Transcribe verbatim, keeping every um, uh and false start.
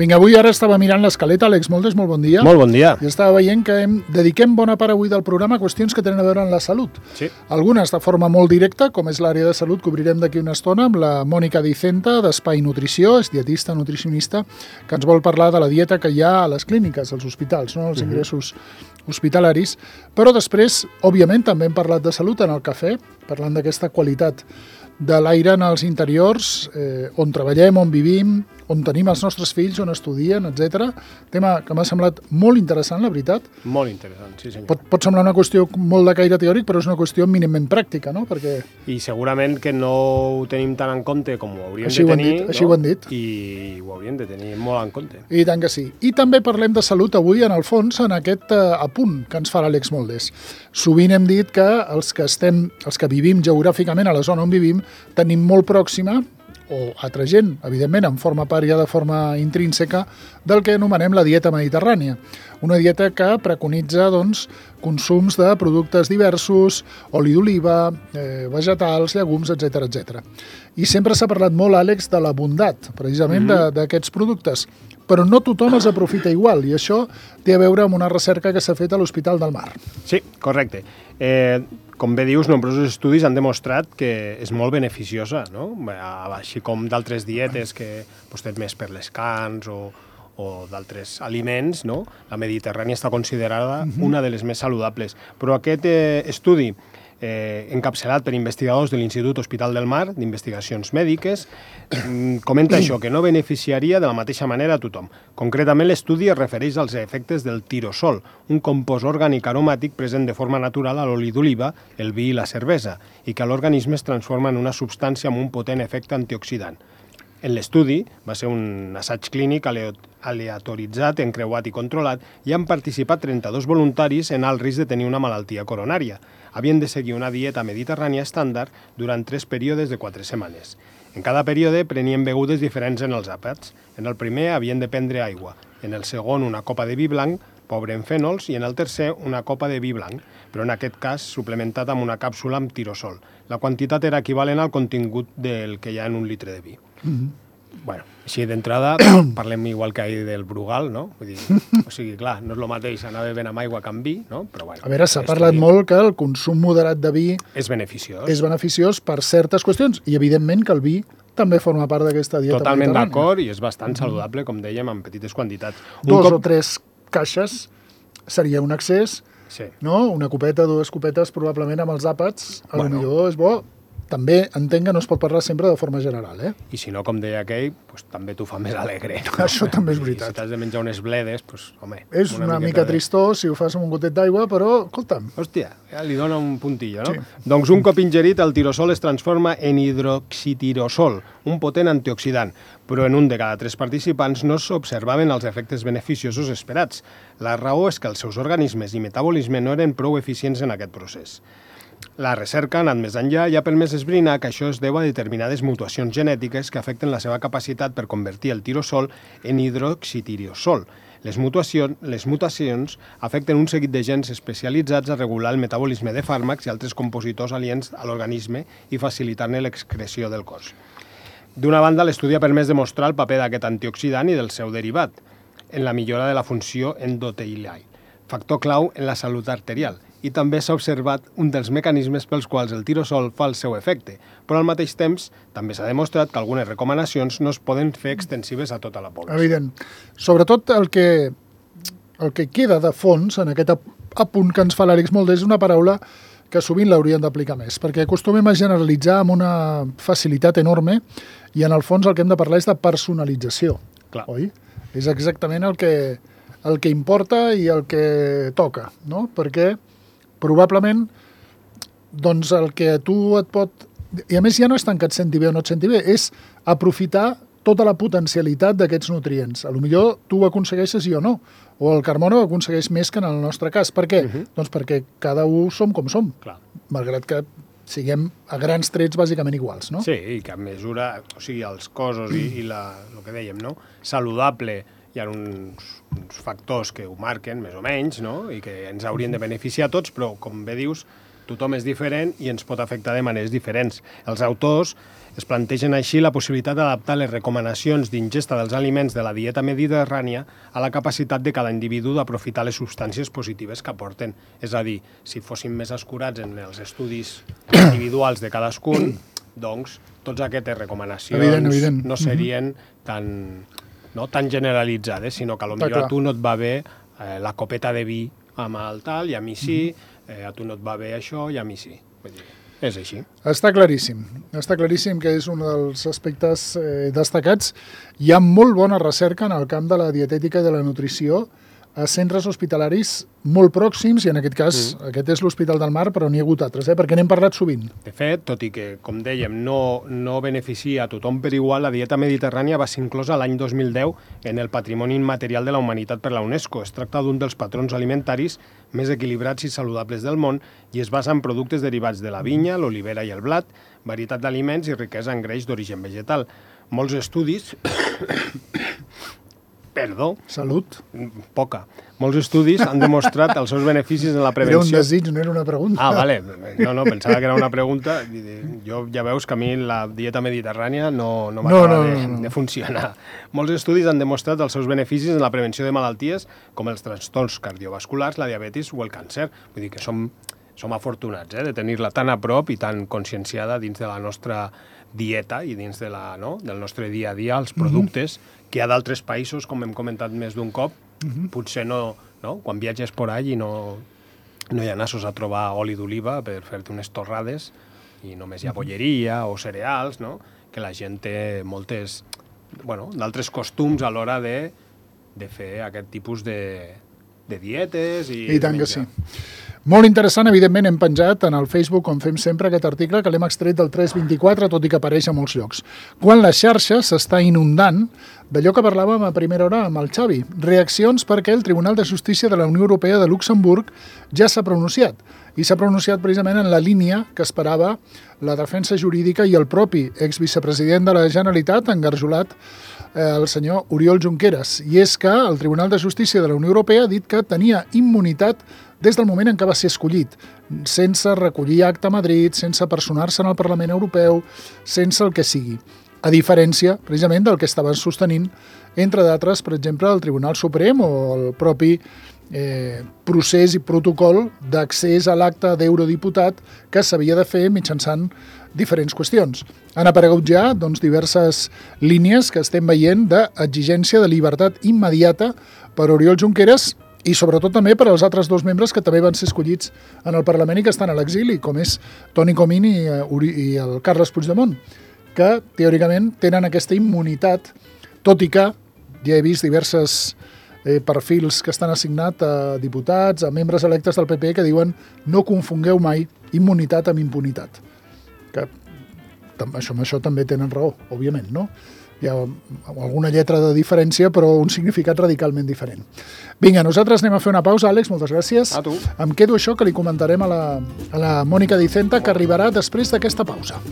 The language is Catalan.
Vinga, avui ara estava mirant l'escaleta, Àlex Moldes, molt bon dia. Molt bon dia. I estava veient que hem, dediquem bona part avui del programa a qüestions que tenen a veure amb la salut. Sí. Algunes de forma molt directa, com és l'àrea de salut, que obrirem d'aquí una estona amb la Mònica Dicenta, d'Espai Nutrició, és dietista, nutricionista, que ens vol parlar de la dieta que hi ha a les clíniques, als hospitals, no? Els ingressos hospitalaris. Però després, òbviament, també hem parlat de salut en el cafè, parlant d'aquesta qualitat de l'aire en els interiors, eh, on treballem, on vivim, on tenim els nostres fills, on estudien, etcètera. Tema que m'ha semblat molt interessant, la veritat. Molt interessant, sí senyor. Pot, pot semblar una qüestió molt de caire teòric, però és una qüestió mínimament pràctica, no? Perquè... I segurament que no ho tenim tan en compte com ho hauríem així de ho han tenir. dit, així no? ho han dit. I ho hauríem de tenir molt en compte. I tant que sí. I també parlem de salut avui, en el fons, en aquest eh, apunt que ens fa l'Àlex Moldes. Sovint hem dit que els que estem, els que vivim geogràficament a la zona on vivim, tenim molt pròxima, o altra gent, evidentment, en forma part ja de forma intrínseca, del que anomenem la dieta mediterrània. Una dieta que preconitza doncs, consums de productes diversos, oli d'oliva, eh, vegetals, llegums, etcètera, etcètera. I sempre s'ha parlat molt, Àlex, de la bondat, precisament, mm-hmm. d'aquests productes. Però no tothom els aprofita igual, i això té a veure amb una recerca que s'ha fet a l'Hospital del Mar. Sí, correcte. Eh, com bé dius, nombrosos estudis han demostrat que és molt beneficiosa, no? Així com d'altres dietes que pues, tens més per les carns o, o d'altres aliments, no? La mediterrània està considerada uh-huh. una de les més saludables. Però aquest eh, estudi, eh, encapçalat per investigadors de l'Institut Hospital del Mar, d'investigacions mèdiques, comenta això, que no beneficiaria de la mateixa manera a tothom. Concretament, l'estudi es refereix als efectes del tirosol, un compost orgànic aromàtic present de forma natural a l'oli d'oliva, el vi i la cervesa, i que a l'organisme es transforma en una substància amb un potent efecte antioxidant. En l'estudi, va ser un assaig clínic aleatoritzat, encreuat i controlat, i han participat trenta-dos voluntaris en alt risc de tenir una malaltia coronària. Havien de seguir una dieta mediterrània estàndard durant tres períodes de quatre setmanes. En cada període prenien begudes diferents en els àpats. En el primer havien de prendre aigua, en el segon una copa de vi blanc, pobre en fènols, i en el tercer una copa de vi blanc, però en aquest cas suplementat amb una càpsula amb tirosol. La quantitat era equivalent al contingut del que hi ha en un litre de vi. Mm-hmm. Bueno, així d'entrada parlem igual que ahir del Brugal, no? Vull dir, o sigui, clar, no és el mateix anar bevent amb aigua que amb vi, no? Però bueno. A veure, s'ha parlat molt que el consum moderat de vi és beneficiós. És beneficiós per certes qüestions i, evidentment, que el vi també forma part d'aquesta dieta Totalment mediterrània. d'acord, i és bastant saludable, com dèiem, en petites quantitats. Dos cop... o tres caixes seria un excés, sí. No? Una copeta, dues copetes, probablement amb els àpats, a bueno. lo millor és bo. També entenc que no es pot parlar sempre de forma general, eh? I si no, com deia aquell, pues, també t'ho fa més alegre. No? Això també és veritat. I si t'has de menjar unes bledes, pues, home... És una, una mica de... tristó si ho fas amb un gotet d'aigua, però, escolta'm... Hòstia, ja li dona un puntillo, no? Sí. Doncs un cop ingerit, el tirosol es transforma en hidroxitirosol, un potent antioxidant, però en un de cada tres participants no s'observaven els efectes beneficiosos esperats. La raó és que els seus organismes i metabolisme no eren prou eficients en aquest procés. La recerca ha anat més enllà i ha permès esbrinar que això es deu a determinades mutacions genètiques que afecten la seva capacitat per convertir el tirosol en hidroxitirosol. Les mutacions, les mutacions afecten un seguit de gens especialitzats a regular el metabolisme de fàrmacs i altres compositors aliens a l'organisme i facilitar-ne l'excreció del cos. D'una banda, l'estudi ha permès demostrar el paper d'aquest antioxidant i del seu derivat en la millora de la funció endotelial, factor clau en la salut arterial, i també s'ha observat un dels mecanismes pels quals el tirosol fa el seu efecte, però al mateix temps també s'ha demostrat que algunes recomanacions no es poden fer extensives a tota la població. Evident. Sobretot el que, el que queda de fons en aquest apunt que ens fa l'Àlex Moldes és una paraula que sovint l'haurien d'aplicar més, perquè acostumem a generalitzar amb una facilitat enorme i en el fons el que hem de parlar és de personalització. Clar. Oi? És exactament el que, el que importa i el que toca, no? Perquè probablement doncs el que a tu et pot... I a més ja no és tant que et senti bé o no et senti bé, és aprofitar tota la potencialitat d'aquests nutrients. A lo millor tu ho aconsegueixes i o no, o el Carmona ho aconsegueix més que en el nostre cas. Per què? Uh-huh. Doncs perquè cada un som com som, Clar. Malgrat que siguem a grans trets bàsicament iguals, no? Sí, i que a mesura, o sigui, els cossos i, i la, el que dèiem, no? Saludable, hi ha uns, uns factors que ho marquen, més o menys, no? I que ens haurien de beneficiar a tots, però, com bé dius, tothom és diferent i ens pot afectar de maneres diferents. Els autors es plantegen així la possibilitat d'adaptar les recomanacions d'ingesta dels aliments de la dieta mediterrània a la capacitat de cada individu d'aprofitar les substàncies positives que aporten. És a dir, si fóssim més escurats en els estudis individuals de cadascun, doncs totes aquestes recomanacions evident, evident. no serien tan, no, tan generalitzades, sinó que potser a tu no et va bé eh, la copeta de vi amb el tal, i a mi sí, eh, a tu no et va bé això, i a mi sí. Vull dir, és així. Està claríssim. Està claríssim que és un dels aspectes eh, destacats. Hi ha molt bona recerca en el camp de la dietètica i de la nutrició a centres hospitalaris molt pròxims, i en aquest cas, mm. aquest és l'Hospital del Mar, però n'hi ha hagut altres, eh? perquè n'hem parlat sovint. De fet, tot i que, com dèiem, no, no beneficia a tothom per igual, la dieta mediterrània va ser inclosa l'any dos mil deu en el Patrimoni Immaterial de la Humanitat per la UNESCO. Es tracta d'un dels patrons alimentaris més equilibrats i saludables del món i es basa en productes derivats de la vinya, l'olivera i el blat, varietat d'aliments i riquesa en greix d'origen vegetal. Molts estudis... Perdó. Salut. Poca. Molts estudis han demostrat els seus beneficis en la prevenció. Era un desig, no era una pregunta. Ah, vale. No, no, pensava que era una pregunta. Jo ja veus que a mi la dieta mediterrània no, no m'acaba no, no, no, no. de, de funcionar. Molts estudis han demostrat els seus beneficis en la prevenció de malalties com els trastorns cardiovasculars, la diabetis o el càncer. Vull dir que som, som afortunats eh, de tenir-la tan a prop i tan conscienciada dins de la nostra dieta i dins de la, no, del nostre dia a dia, els productes, uh-huh. que hi ha d'altres països, com hem comentat més d'un cop, uh-huh. potser no, no, quan viatges por allà i no, no hi ha nassos a trobar oli d'oliva per fer-te unes torrades i només hi ha bolleria o cereals, no? Que la gent té moltes, bueno, d'altres costums a l'hora de, de fer aquest tipus de, de dietes i, I tant que sí. Molt interessant, evidentment hem penjat en el Facebook, com fem sempre, aquest article que l'hem extret del tres vint-i-quatre, tot i que apareix a molts llocs. Quan la xarxa s'està inundant d'allò que parlàvem a primera hora amb el Xavi. Reaccions perquè el Tribunal de Justícia de la Unió Europea de Luxemburg ja s'ha pronunciat. I s'ha pronunciat precisament en la línia que esperava la defensa jurídica i el propi exvicepresident de la Generalitat, engarjolat, eh, el senyor Oriol Junqueras. I és que el Tribunal de Justícia de la Unió Europea ha dit que tenia immunitat des del moment en què va ser escollit, sense recollir acta a Madrid, sense personar-se en el Parlament Europeu, sense el que sigui. A diferència, precisament, del que estaven sostenint, entre d'altres, per exemple, el Tribunal Suprem o el propi eh, procés i protocol d'accés a l'acte d'eurodiputat que s'havia de fer mitjançant diferents qüestions. Han aparegut ja doncs, diverses línies que estem veient d'exigència de llibertat immediata per Oriol Junqueras i sobretot també per als altres dos membres que també van ser escollits en el Parlament i que estan a l'exili, com és Toni Comín i, i el Carles Puigdemont, que teòricament tenen aquesta immunitat, tot i que ja he vist diverses eh, perfils que estan assignats a diputats, a membres electes del P P que diuen no confongueu mai immunitat amb impunitat. Que això, amb això també tenen raó, òbviament, no? Hi ha alguna lletra de diferència, però un significat radicalment diferent. Vinga, nosaltres anem a fer una pausa, Àlex, moltes gràcies. A tu. Em quedo això que li comentarem a la, a la Mònica Dicenta, que arribarà després d'aquesta pausa.